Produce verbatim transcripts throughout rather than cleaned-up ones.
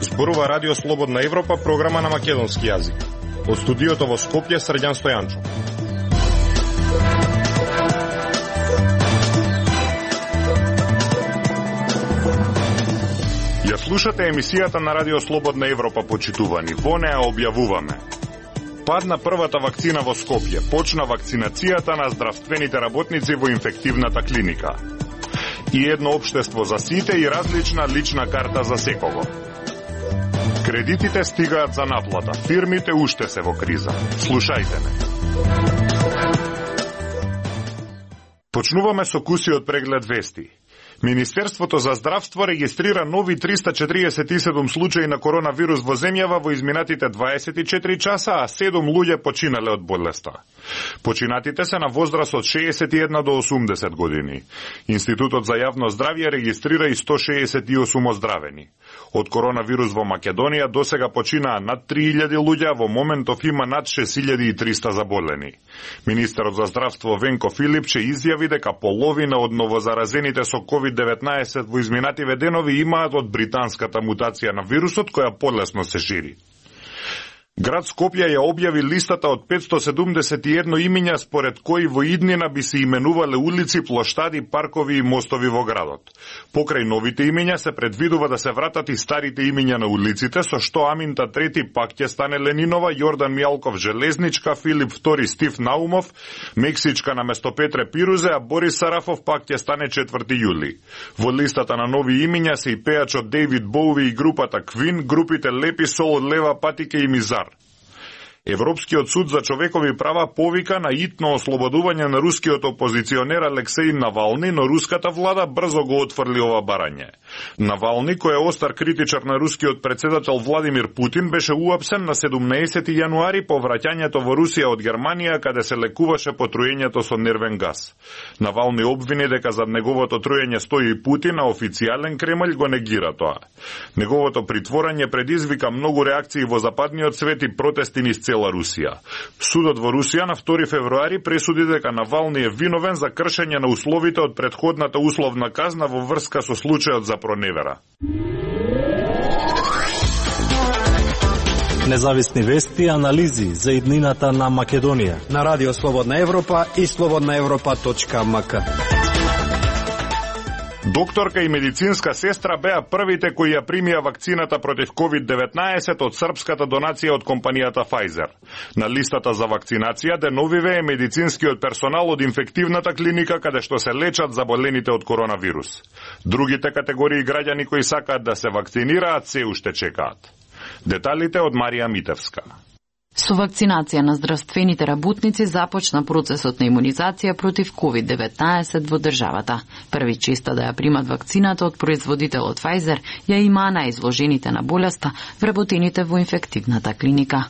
Зборува Радио Слободна Европа, програма на македонски јазик. Од студиото во Скопје, Срđan Стојанчо. Ја слушате емисијата на Радио Слободна Европа, почитувани. Во неа објавуваме: падна првата вакцина во Скопје, почна вакцинацијата на здравствените работници во инфективната клиника. И едно општество за сите и различна лична карта за секого. Кредитите стигаат за наплата, фирмите уште се во криза. Слушајте ме. Почнуваме со кусиот преглед вести. Министерството за здравство регистрира нови триста четиридесет и седум случаи на коронавирус во земјава во изминатите дваесет и четири часа, а седум луѓе починале од болеста. Починатите се на возраст од шеесет и една до осумдесет години. Институтот за јавно здравје регистрира и сто шеесет и осум оздравени. Од коронавирус во Македонија досега починаа над три илјади луѓе, а во моментов има над шест илјади и триста заболени. Министерот за здравство Венко Филипче изјави дека половина од новозаразените со ковид деветнаесет во изминативе денови имаат од британската мутација на вирусот, која полесно се шири. Град Скопје ја објави листата од петсто седумдесет и едно имиња според кои во иднина би се именувале улици, плоштади, паркови и мостови во градот. Покрај новите имиња се предвидува да се вратат и старите имиња на улиците, со што Аминта трети пак ќе стане Ленинова, Јордан Мјалков Железничка, Филип втори Стив Наумов, Мексичка наместо Петре Пирузе, а Борис Сарафов пак ќе стане четврти јули. Во листата на нови имиња се и пејачот Дейвид Боуи и групата Квин, групите Лепи Сол, Лева Патике и Мизар. Европскиот суд за човекови права повика на итно ослободување на рускиот опозиционер Алексеј Навални, но руската влада брзо го отфрли ова барање. Навални, кој е остар критичар на рускиот председател Владимир Путин, беше уапсен на седумнаесети јануари по враќањето во Русија од Германија, каде се лекуваше по труењето со нервен газ. Навални обвини дека зад неговото труење стои и Путин, а официјален Кремљ го негира тоа. Неговото притворање предизвика многу реакции во западниот свет и протести низ цела Русија. Судот во Русија на втори февруари пресуди дека Навални е виновен за кршење на условите од претходната условна казна во врска со случајот за проневера. Независни вести и анализи за иднината на Македонија на Радио Слободна Европа и слободна европа точка ем ка. Докторка и медицинска сестра беа првите кои ја примија вакцината против ковид деветнаесет од српската донација од компанијата Pfizer. На листата за вакцинација деновиве е медицинскиот персонал од инфективната клиника каде што се лечат заболените од коронавирус. Другите категории граѓани кои сакаат да се вакцинираат се уште чекаат. Деталите од Марија Митевска. Со вакцинација на здравствените работници започна процесот на имунизација против ковид деветнаесет во државата. Први честа да ја примат вакцината од производителот Pfizer ја имаа најизложените на болеста вработените во инфективната клиника.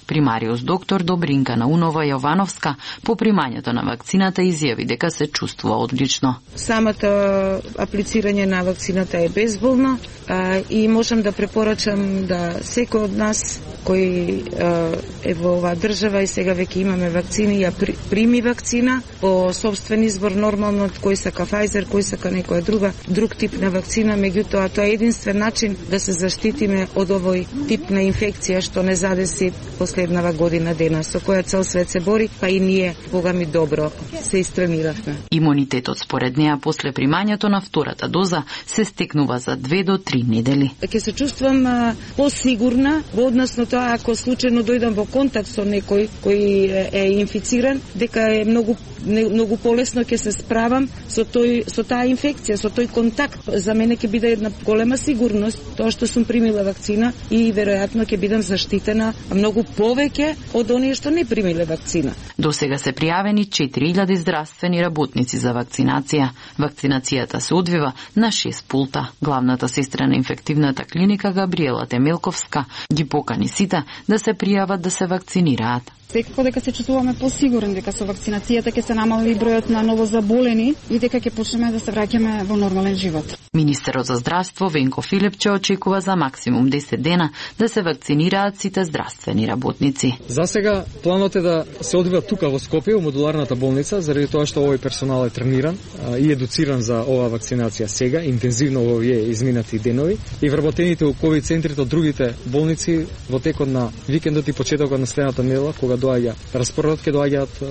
Примариус доктор Добринка Наунова Јовановска по примањето на вакцината изјави дека се чувствува одлично. Самата аплицирање на вакцината е безболно а, и можам да препорачам да секој од нас кој а, е во оваа држава и сега веќе имаме вакцини, ја прими вакцина по собствен избор, нормално кој сака Pfizer, кој сака некоја друга, друг тип на вакцина, меѓутоа тоа е единствен начин да се заштитиме од овој тип на инфекција што не задеси последнава година дена, со која цел свет се бори, па и ние, бога ми добро, се истрениравме. Имунитетот според неа после примањето на втората доза се стекнува за две до три недели. Ќе се чувствам а, посигурна во однос на тоа ако случајно дојдам во контакт со некој кој е инфициран, дека е многу многу полесно ќе се справам со тој со таа инфекција, со тој контакт. За мене ќе биде една голема сигурност тоа што сум примила вакцина и веројатно ќе бидам заштитена многу повеќе од оние што не примиле вакцина. До сега се пријавени четири илјади здравствени работници за вакцинација. Вакцинацијата се одвива на шест пулта. Главната сестра на инфективната клиника Габриела Темелковска ги покани сите да се пријават да се вакцинираат. Секако дека се чувствуваме посигурни дека со вакцинацијата ќе се намали бројот на новозаболени и дека ќе почнеме да се враќаме во нормален живот. Министерот за здравство Венко Филипче очекува за максимум десет дена да се вакцинираат сите здравствени работници. За сега планот е да се одвива тука во Скопје, во модуларната болница, заради тоа што овој персонал е трениран и едуциран за оваа вакцинација сега, интензивно во овие изминати денови, и вработените у ковид центрите од другите болници во текот на викендот и почетокот на следната недела, кога доаѓа распоредот, ќе доаѓаат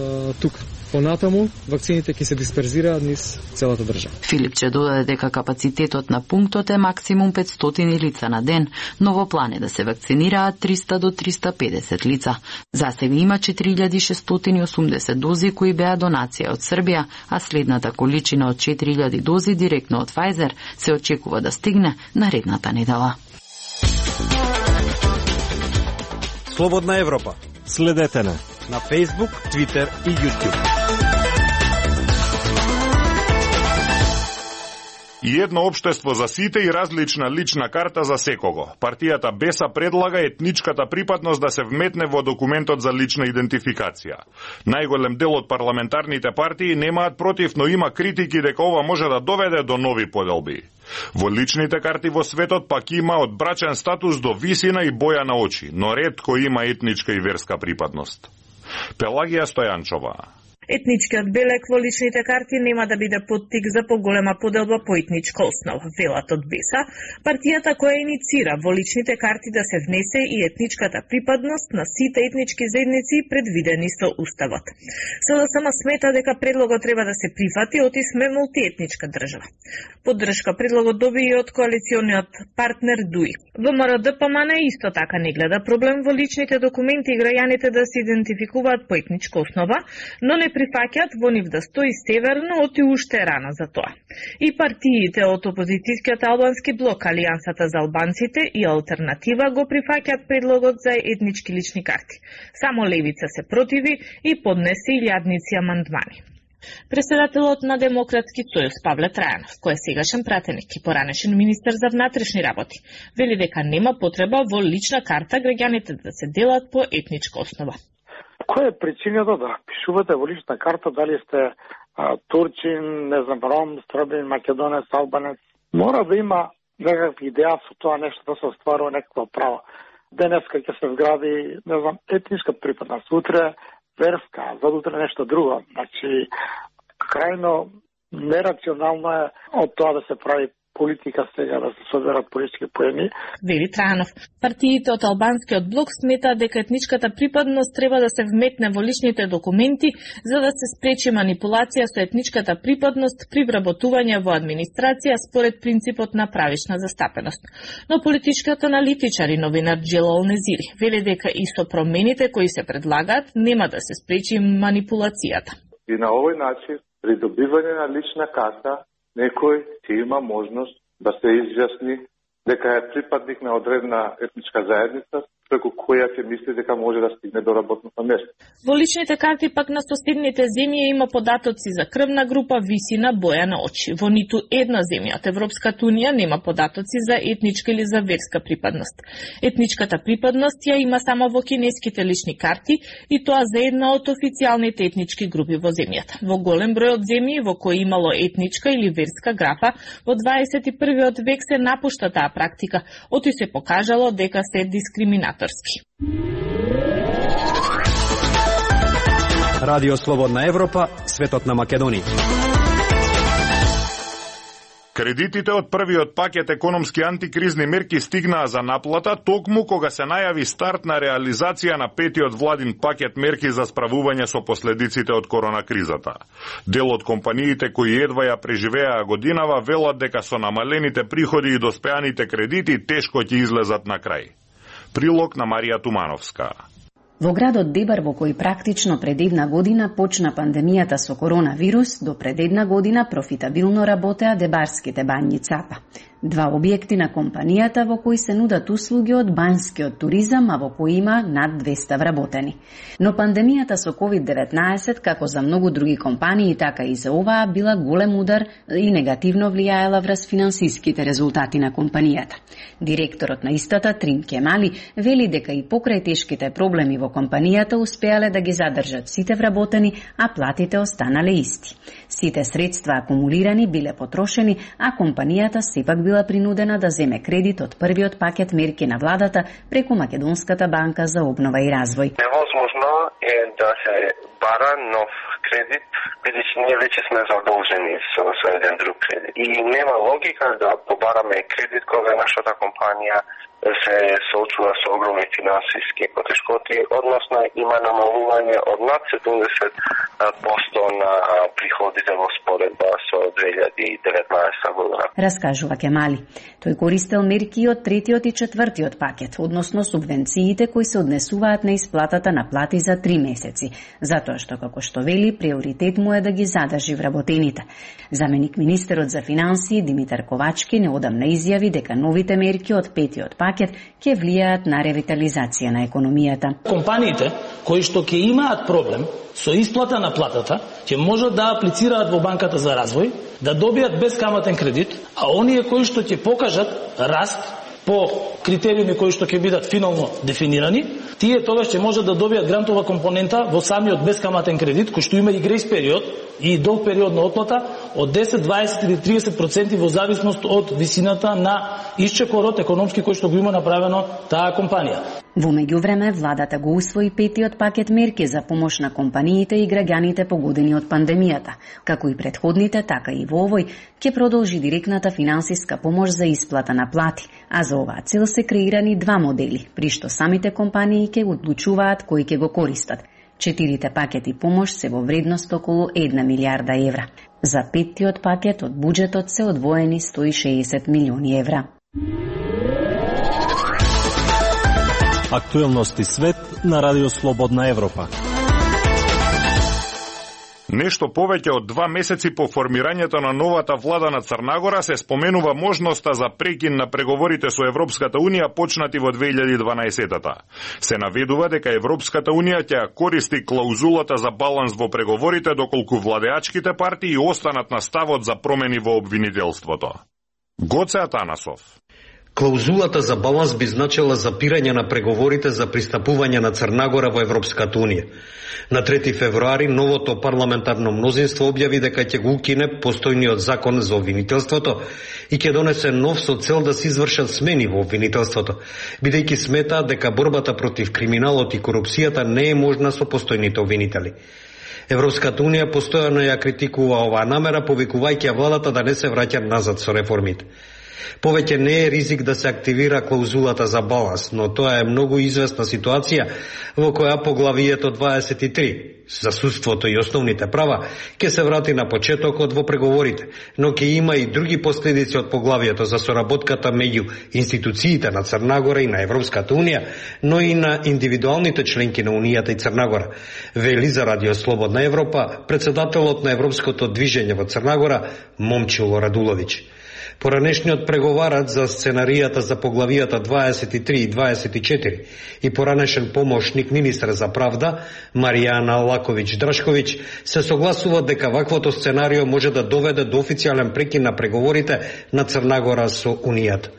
тука. Понатаму, вакцините ќе се дисперзираат низ целата држава. Филипче додаде дека капацитетот на пунктот е максимум петстотини лица на ден, но во план е да се вакцинираат триста до триста и педесет лица. За сега има четири илјади шестстотини и осумдесет дози кои беа донација од Србија, а следната количина од четири илјади дози директно од Pfizer се очекува да стигне наредната недела. Слободна Европа. Следете на на Facebook, Twitter и YouTube. И едно општество за сите и различна лична карта за секого. Партијата Беса предлага етничката припадност да се вметне во документот за лична идентификација. Најголем дел од парламентарните партии немаат против, но има критики дека ова може да доведе до нови поделби. Во личните карти во светот пак има од брачен статус до висина и боја на очи, но ретко има етничка и верска припадност. Пелагија Стојанчова. Етничкиот белек во личните карти нема да биде поттик за поголема поделба по етничка основа, велат од Беса, партијата која иницира во личните карти да се внесе и етничката припадност на сите етнички заедници предвидени со Уставот. СДСМ смета дека предлогот треба да се прифати, оти сме мултиетничка држава. Поддршка предлогот доби и од коалициониот партнер ДУИ. ВМРО-ДПМН исто така не гледа проблем во личните документи и граѓаните да се идентификуваат по етничка основа, но не прифаќаат во нив да стои северно, оти уште е рано за тоа. И партиите од опозицијскиот албански блок, Алијансата за албанците и Алтернатива го прифаќаат предлогот за етнички лични карти. Само Левица се противи и поднесе илјадници амандмани. Преседателот на Демократски сојуз Павле Трајанов, кој е сегашен пратеник и поранешен министер за внатрешни работи, вели дека нема потреба во лична карта граѓаните да се делат по етничка основа. Која е причината да пишувате во лична карта дали сте а, турчин, не знам, ром, србин, македонец, албанец? Мора да има некаква идеја со тоа нешто да се остварува некаква права. Денеска ќе се вгради, не знам, етничка припадност, утре верска, задутре нешто друго. Значи, крајно нерационално е од тоа да се прави политика сега, да се соберат политички поени. Вели Трајанов. Партиите од албанскиот блок сметаат дека етничката припадност треба да се вметне во личните документи за да се спречи манипулација со етничката припадност при вработување во администрација според принципот на правична застапеност. Но политичкиот аналитичар и новинар Джелал Незири вели дека и со промените кои се предлагаат нема да се спречи манипулацијата. И на овој начин придобивање на лична карта некој ќе има можност да се изјасни дека е припадник на одредена етничка заедница, преку која ќе мисли дека може да стигне до работното место. Во личните карти пак на соседните земји има податоци за крвна група, висина, боја на очи. Во ниту една земја од Европската унија нема податоци за етничка или за верска припадност. Етничката припадност ја има само во кинеските лични карти и тоа за една од официјалните етнички групи во земјата. Во голем број од земји во кои имало етничка или верска графа, во дваесет и првиот век се напушта таа практика, оти се покажало дека се дискриминаторски. Радио Слободна Европа, светот на Македонија. Кредитите од првиот пакет економски антикризни мерки стигнаа за наплата токму кога се најави старт на реализација на петиот владин пакет мерки за справување со последиците од коронакризата. Дел од компаниите кои едва ја преживеаа годинава велат дека со намалените приходи и доспеаните кредити тешко ќе излезат на крај. Прилог на Марија Тумановска. Во градот Дебар, во кој практично пред една година почна пандемијата со коронавирус, до пред една година профитабилно работеа дебарските бањи Цапа. Два објекти на компанијата во кои се нудат услуги од банјскиот туризам, а во кои има над двеста вработени. Но пандемијата со ковид деветнаесет, како за многу други компании, така и за оваа, била голем удар и негативно влијаела врз финансиските резултати на компанијата. Директорот на истата, Трим Кемали, вели дека и покрај тешките проблеми во компанијата успеале да ги задржат сите вработени, а платите останале исти. Сите средства акумулирани биле потрошени, а компанијата сепак била принудена да земе кредит од првиот пакет мерки на владата преку Македонската банка за обнова и развој. Невозможно е да се бара нов кредит, бидејќи ние веќе сме задолжени со, со еден друг кредит. И нема логика да побараме кредит кога нашата компанија се соочува со огромни финансиски потешкоти, односно има намалување од над седумдесет проценти на приходите во споредба со две илјади и деветнаесета година. Раскажува Кемали. Тој користел мерки од третиот и четвртиот пакет, односно субвенциите кои се однесуваат на исплатата на плати за три месеци, затоа што, како што вели, приоритет му е да ги задржи вработените. Заменик министерот за финансии Димитар Ковачки неодамна изјави дека новите мерки од петиот пакет ќе влијаат на ревитализација на економијата. Компаниите кои што ќе имаат проблем со исплата на платата, ќе можат да аплицираат во банката за развој, да добијат бескаматен кредит, а оние кои што ќе покажат раст по критериуми кои што ќе бидат финално дефинирани, тие тогаш ќе можат да добијат грантова компонента во самиот бескаматен кредит, кој што има и грејс период и долг период на отплата од десет, дваесет или триесет проценти во зависност од висината на исчекорот економски кој што го има направено таа компанија. Во меѓувреме, владата го усвои петиот пакет мерки за помош на компаниите и граѓаните погодени од пандемијата. Како и предходните, така и во овој, ќе продолжи директната финансиска помош за исплата на плати, а за оваа цел се креирани два модели, при што самите компании ќе одлучуваат кои ќе го користат. Четирите пакети помош се во вредност околу една милијарда евра. За петтиот пакет од буџетот се одвоени сто и шеесет милиони евра. Актуелности свет на Радио Слободна Европа. Нешто повеќе од два месеци по формирањето на новата влада на Црнагора се споменува можноста за прекин на преговорите со Европската Унија почнати во две илјади и дванаесета. Се наведува дека Европската Унија ќе користи клаузулата за баланс во преговорите доколку владеачките партии останат на ставот за промени во обвинителството. Гоце Атанасов. Клаузулата за баланс би значила запирање на преговорите за пристапување на Црнагора во Европската Унија. На трети февруари новото парламентарно мнозинство објави дека ќе го укине постојниот закон за обвинителството и ќе донесе нов со цел да се извршат смени во обвинителството, бидејќи сметаат дека борбата против криминалот и корупцијата не е можна со постојните обвинители. Европската Унија постојано ја критикува оваа намера, повикувајќи ја владата да не се враќа назад со реформите. Повеќе не е ризик да се активира клаузулата за баланс, но тоа е многу известна ситуација во која поглавието дваесет и три за судството и основните права ќе се врати на почетокот во преговорите, но ќе има и други последици од поглавието за соработката меѓу институциите на Црнагора и на Европската Унија, но и на индивидуалните членки на Унијата и Црнагора, вели за Радио Слободна Европа председателот на Европското движење во Црнагора Момчило Радуловиќ. Поранешниот преговарач за сценаријата за поглавијата дваесет и три и дваесет и четири и поранешен помошник министар за правда Маријана Лаковиќ-Драшковиќ се согласува дека ваквото сценарио може да доведе до официјален прекин на преговорите на Црнагора со Унијата.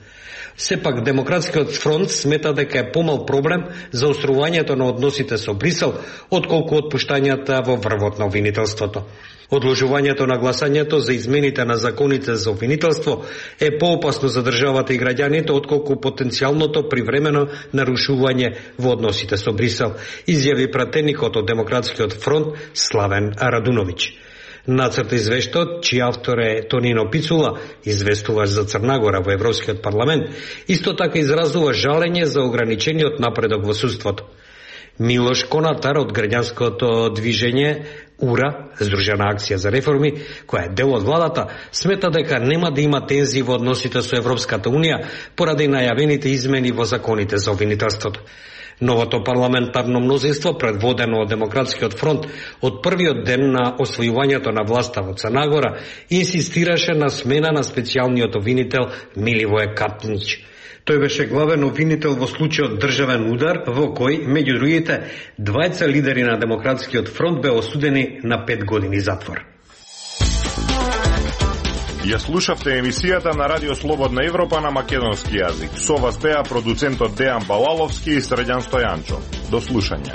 Сепак, Демократскиот фронт смета дека е помал проблем за острувањето на односите со Брисел, отколку отпуштањата во врвот на обвинителството. Одложувањето на гласањето за измените на законите за обвинителство е поопасно за државата и граѓаните, отколку потенцијалното привремено нарушување во односите со Брисел, изјави пратеникот од Демократскиот фронт Славен Радуновиќ. Нацрт извештајот, чиј автор е Тонино Пицула, известуваш за Црнагора во Европскиот парламент, исто така изразува жалење за ограничениот напредок во судството. Милош Конатар од граѓанското движење УРА, Здружена акција за реформи, која е дел од владата, смета дека нема да има тензии во односите со Европската Унија поради најавените измени во законите за обвинителството. Новото парламентарно мнозинство, предводено од Демократскиот фронт, од првиот ден на освојувањето на власта во Црна Гора, инсистираше на смена на специјалниот обвинител Миливој Катнич. Тој беше главен обвинител во случајот државен удар, во кој, меѓу другите, двајца лидери на Демократскиот фронт беа осудени на пет години затвор. Ја слушавте емисијата на Радио Слободна Европа на македонски јазик. Со вас беа продуцентот Дејан Балаловски и Средјан Стојанчо. До слушање.